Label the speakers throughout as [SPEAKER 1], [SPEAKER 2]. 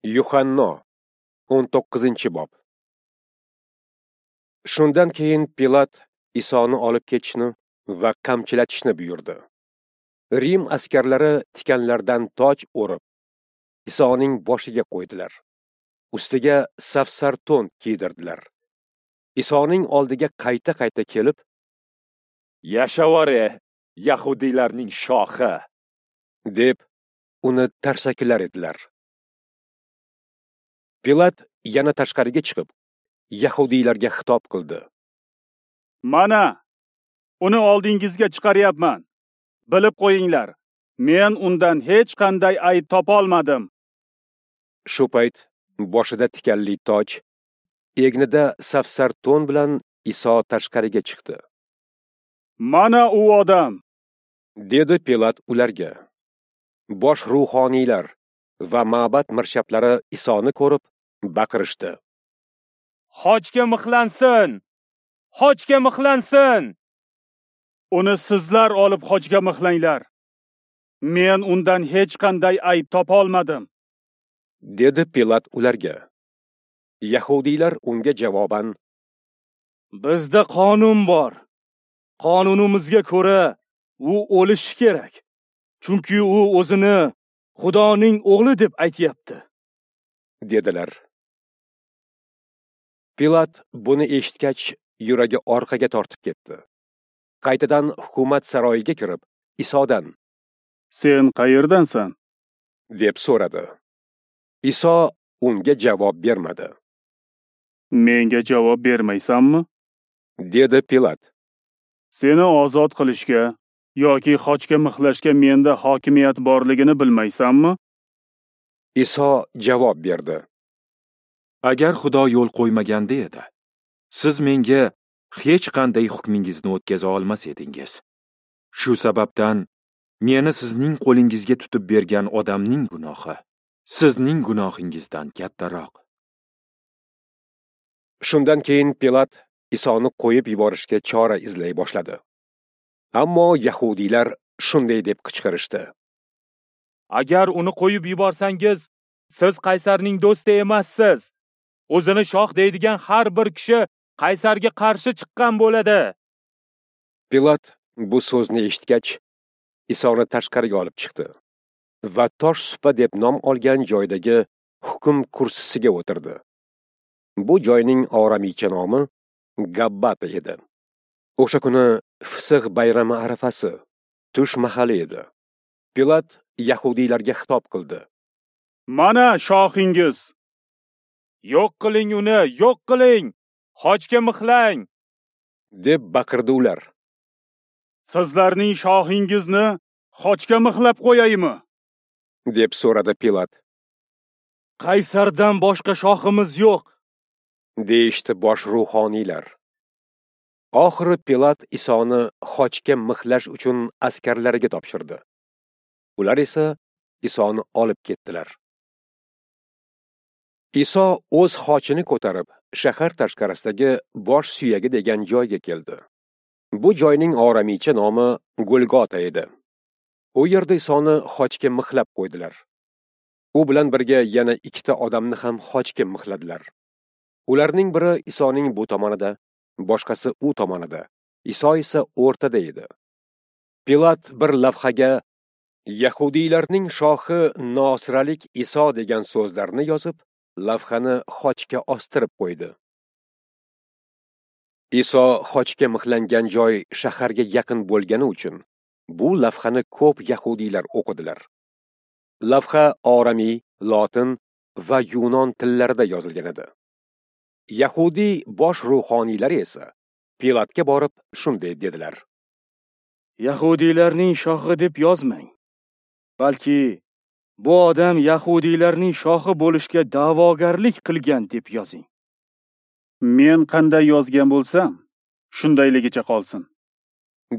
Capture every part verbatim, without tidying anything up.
[SPEAKER 1] Yuhanno o'n to'qqizinchi bob. Shundan keyin Pilat Isoni olib ketishni va qamchilatishni buyurdi. Rim askarlari tikanlardan toj o'rib, Isoning boshiga qo'ydilar. Ustiga safsar to'n kiydirdilar. Isoning oldiga qayta-qayta kelib,
[SPEAKER 2] "Yashavor, yahudiylarning shohi!"
[SPEAKER 1] deb uni tarsakilar edilar. Pilat yana tashqariga chiqib, yahudiylarga xitob qildi.
[SPEAKER 3] "Mana, uni oldingizga chiqaryapman. Bilib qo'yinglar, men undan hech qanday ayb topa olmadim."
[SPEAKER 1] Shu payt boshida tikanli toj, egnida safsar to'n bilan Iso tashqariga chiqdi.
[SPEAKER 3] "Mana u odam!"
[SPEAKER 1] dedi Pilat ularga. Bosh ruhoniylar va ma'bad mirshablari Isoni ko'rib baqirishdi.
[SPEAKER 2] "Xochga mixlansin! Xochga mixlansin!
[SPEAKER 3] Uni sizlar olib xochga mixlanglar. Men undan hech qanday ayb topa olmadim,"
[SPEAKER 1] dedi Pilat ularga. Yahudiylar unga javoban:
[SPEAKER 4] "Bizda qonun bor. Qonunimizga ko'ra u o'lishi kerak. Chunki u o'zini Xudoning o'g'li deb aytayapti,"
[SPEAKER 1] dedilar. Pilat buni eshitgach, yuragi orqaga tortib ketdi. Qaytadan hukumat saroyiga kirib, Isodan:
[SPEAKER 3] "Sen qayerdansan?"
[SPEAKER 1] deb so'radi. Iso unga javob bermadi.
[SPEAKER 3] "Menga javob bermaysanmi?"
[SPEAKER 1] dedi Pilat.
[SPEAKER 3] "Seni ozod qilishga yoki xochga mixlashga menda hokimiyat borligini bilmaysanmi?"
[SPEAKER 1] Iso javob berdi.
[SPEAKER 5] "Agar Xudo yo'l qo'ymaganda edi, siz menga hech qanday hukmingizni o'tkaza olmas edingiz. Shu sababdan meni sizning qo'lingizga tutib bergan odamning gunohi sizning gunohingizdan kattaroq."
[SPEAKER 1] Shundan keyin Pilat Isoni qo'yib yuborishga chora izlay boshladi. Ammo yahudiylar shunday deb qichqirishdi:
[SPEAKER 2] "Agar uni qo'yib yuborsangiz, siz qaysarning do'sti emassiz. O'zini shoh deydigan har bir kishi qaysarga qarshi chiqqan bo'ladi."
[SPEAKER 1] Pilat bu so'zni eshitgach, Isoni tashqariga olib chiqdi va tosh supa deb nom olgan joydagi hukm kursisiga o'tirdi. Bu joyning oramicha nomi Gabbata edi. O'sha kuni Fisix bayrami arafasi, tush mahali edi. Pilat yahudiylarga xitob qildi.
[SPEAKER 3] "Mana shohingiz!"
[SPEAKER 2] "Yo'q qiling uni, yo'q qiling! Xochga mixlang!"
[SPEAKER 1] deb baqirdi ular.
[SPEAKER 3] "Sizlarning shohingizni xochga mixlab qo'yaymi?"
[SPEAKER 1] deb so'radi Pilat.
[SPEAKER 4] "Qaysardan boshqa shohimiz yo'q,"
[SPEAKER 1] deyishdi bosh ruhoniylar. Oxiri Pilat Isoni xochga mixlash uchun askarlariga topshirdi. Ular esa Isoni olib ketdilar. Iso o'z xochini ko'tarib, shahar tashqarisidagi bosh suyagi degan joyga keldi. Bu joyning oramicha nomi Golgota edi. U yerda Isoni xochga mixlab qo'ydilar. U bilan birga yana ikkita odamni ham xochga mixladilar. Ularning biri Isoning bu tomonida, boshqasi u tomonida, Iso esa o'rtada edi. Pilat bir lavhaga "Yahudiylarning shohi Nosiralik Iso" degan so'zlarni yozib, lavhani xochga ostirib qo'ydi. Iso xochga mixlangan joy shaharga yaqin bo'lgani uchun bu lavhani ko'p yahudiylar o'qidilar. Lavha oramiy, lotin va yunon tillarida yozilgan edi. Yahudiy bosh ruhoniylari esa Pilatga borib shunday dedilar:
[SPEAKER 4] "Yahudiylarning shohi deb yozmang, balki bu odam yahudiylarning shohi bo'lishga da'vogarlik qilgan deb yozing."
[SPEAKER 3] "Men qanday yozgan bo'lsam, shundayligicha qolsin,"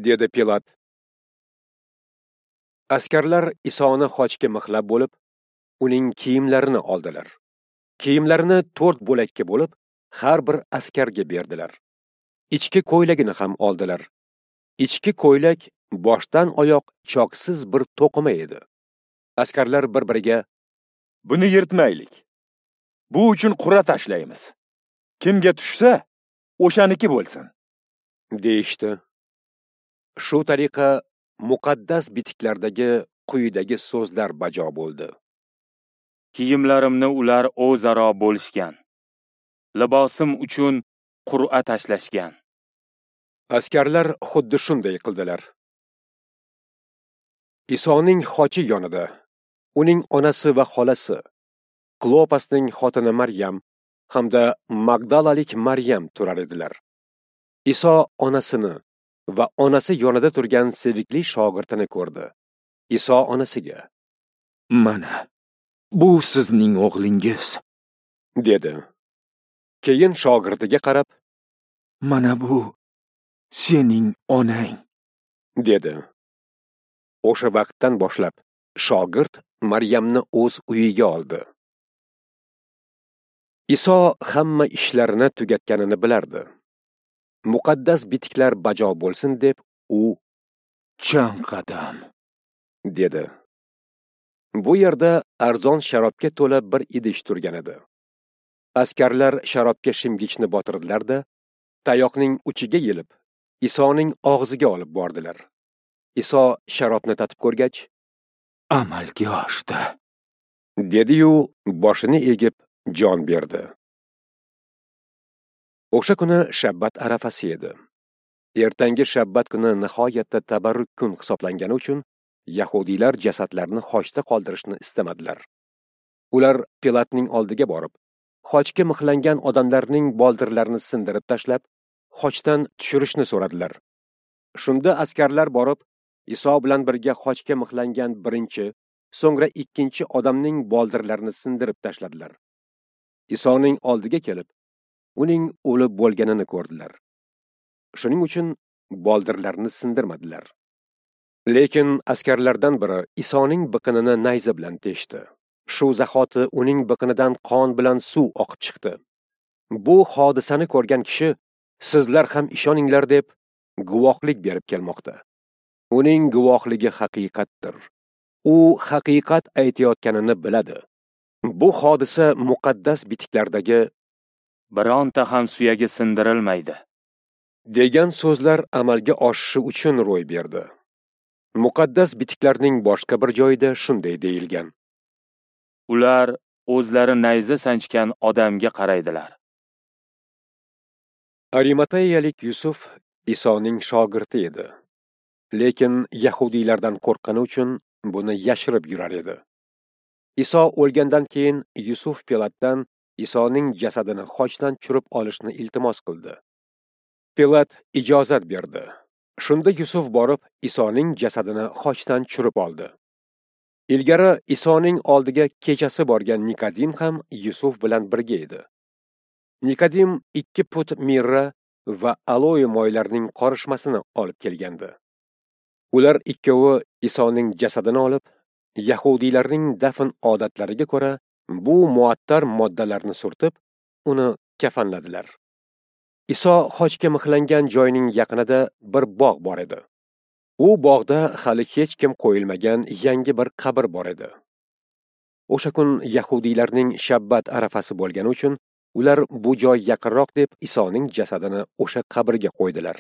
[SPEAKER 1] dedi Pilat. Askarlar Isoni xochga mixlab bo'lib, uning kiyimlarini oldilar. Kiyimlarini to'rt bo'lakka bo'lib, har bir askarga berdilar. Ichki ko'ylagini ham oldilar. Ichki ko'ylak boshdan oyoq choksiz bir to'qima edi. Askarlar bir-biriga:
[SPEAKER 2] "Buni yirtmaylik,
[SPEAKER 5] Bu uchun qur'a tashlaymiz. Kimga tushsa, o'shaniki bo'lsin,
[SPEAKER 1] deyishdi. Shu tariqa muqaddas bitiklardagi quyidagi so'zlar bajo bo'ldi:
[SPEAKER 2] Kiyimlarimni ular o'zaro bo'lishgan, libosim uchun qur'a tashlashgan.
[SPEAKER 1] Askarlar xuddi shunday qildilar. Isoning xochi yonida uning onasi va xolasi, Klopasning xotini Maryam hamda Magdalalik Maryam turar edilar. Iso onasini va onasi yonida turgan sevikli shogirdini ko'rdi. Iso onasiga:
[SPEAKER 5] "Mana, bu sizning o'g'lingiz",
[SPEAKER 1] dedi. Keyin shogirdiga qarab:
[SPEAKER 5] "Mana bu sening onang",
[SPEAKER 1] dedi. O'sha vaqtdan boshlab shogird Maryamni o'z uyiga oldi. Iso hamma ishlarini tugatganini bilardi. Muqaddas bitiklar bajo bo'lsin deb u
[SPEAKER 5] "Chanqadim",
[SPEAKER 1] dedi. Bu yerda arzon sharobga to'la bir idish turgan edi. Askarlar sharobga shimgichni botirdilar-da, tayoqning uchiga yelib, Isoning og'ziga olib bordilar. Iso sharobni tatib ko'rgach,
[SPEAKER 5] "Amalga oshdi",
[SPEAKER 1] dedi-yu boshini egib jon berdi. O'sha kuni shabbat arafasi edi. Ertangi shabbat kuni nihoyatda tabarruk kun hisoblangani uchun yahudiylar jasadlarni xochda qoldirishni istamadilar. Ular Pilatning oldiga borib, xochga mixlangan odamlarning boldirlarini sindirib tashlab, xochdan tushirishni so'radilar. Shunda askarlar borib, Iso bilan birga xochga mixlangan birinchi, so'ngra ikkinchi odamning boldirlarini sindirib tashladilar. Isoning oldiga kelib, uning o'lib bo'lganini ko'rdilar. Shuning uchun boldirlarini sindirmadilar. Lekin askarlardan biri Isoning biqinini nayza bilan teshdi. Shu zahoti uning biqinidan qon bilan suv oqib chiqdi. Bu hodisani ko'rgan kishi, sizlar ham ishoninglar deb guvohlik berib kelmoqda. Uning guvohligi haqiqatdir. U haqiqat aytayotganini biladi. Bu hodisa muqaddas bitiklardagi
[SPEAKER 2] bironta ham suyagi sindirilmaydi
[SPEAKER 1] degan so'zlar amalga oshishi uchun ro'y berdi. Muqaddas bitiklarning boshqa bir joyida shunday deyilgan:
[SPEAKER 2] Ular o'zlari nayza sanchgan odamga qaraydilar.
[SPEAKER 1] Arimateyalik Yusuf Isoning shogirdi edi. Lekin yahudiylardan qo'rqqani uchun buni yashirib yurar edi. Iso o'lgandan keyin Yusuf Pilatdan Isoning jasadini xochdan tushirib olishni iltimos qildi. Pilat ijozat berdi. Shunda Yusuf borib Isoning jasadini xochdan tushirib oldi. Ilgari Isoning oldiga kechasi borgan Nikodim ham Yusuf bilan birga edi. Nikodim ikki put mirra va aloe moylarining qorishmasini olib kelgandi. Ular ikkovi Isoning jasadini olib, yahudiylarning dafn odatlariga ko'ra bu muattar moddalarni surtib, uni kafanladilar. Iso xochga mixlangan joyning yaqinida bir bog' bor edi. U bog'da hali hech kim qo'yilmagan yangi bir qabr bor edi. O'sha kun yahudiylarning shabbat arafasi bo'lgani uchun ular bu joy yaqinroq deb Isoning jasadini o'sha qabrga qo'ydilar.